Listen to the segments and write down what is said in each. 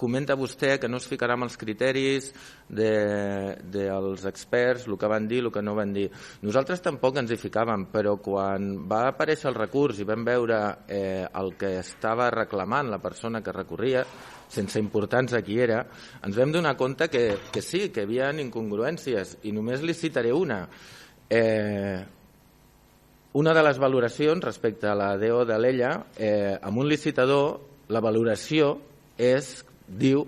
comenta vostè que no es ficarà amb els criteris dels experts, el que van dir, el que no van dir. Nosaltres tampoc ens hi ficàvem, però quan va aparèixer el recurs i vam veure el que estava reclamant la persona que recorria, sense importar-nos a qui era, ens vam donar compte que sí, que hi havia incongruències, i només li citaré una. Una de les valoracions respecte a la DO d'Alella, amb un licitador, la valoració diu,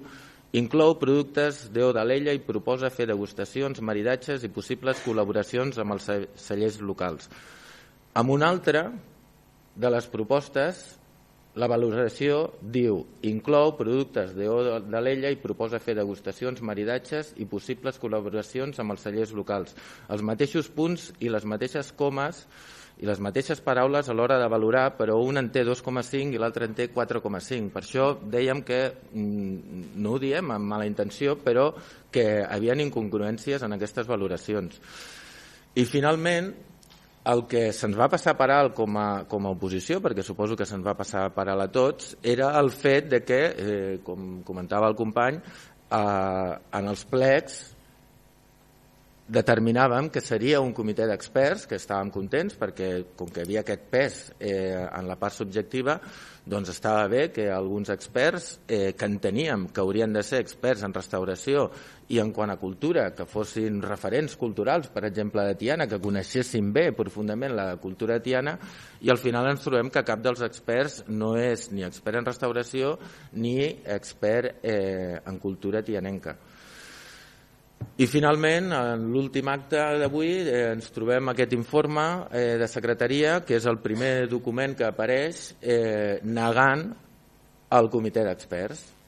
inclou productes DO d'Alella i proposa fer degustacions, maridatges i possibles col·laboracions amb els cellers locals. Amb una altra de les propostes, la valoració diu, inclou productes DO d'Alella i proposa fer degustacions, maridatges i possibles col·laboracions amb els cellers locals. Els mateixos punts i les mateixes comes i les mateixes paraules a l'hora de valorar, però un en té 2,5 i l'altre en té 4,5. Per això dèiem que, no ho diem amb mala intenció, però que hi havia incongruències en aquestes valoracions. I finalment, el que se'ns va passar per alt com a oposició, perquè suposo que se'ns va passar per alt a tots, era el fet de que, com comentava el company, en els plecs determinàvem que seria un comitè d'experts, que estàvem contents perquè com que hi havia aquest pes en la part subjectiva, doncs estava bé que alguns experts que enteníem que haurien de ser experts en restauració i en quant a cultura, que fossin referents culturals, per exemple de Tiana, que coneixessin bé profundament la cultura de Tiana, i al final ens trobem que cap dels experts no és ni expert en restauració ni expert en cultura tianenca. I finalment, en l'últim acte d'avui, ens trobem aquest informe de secretaria, que és el primer document que apareix negant el comitè d'experts.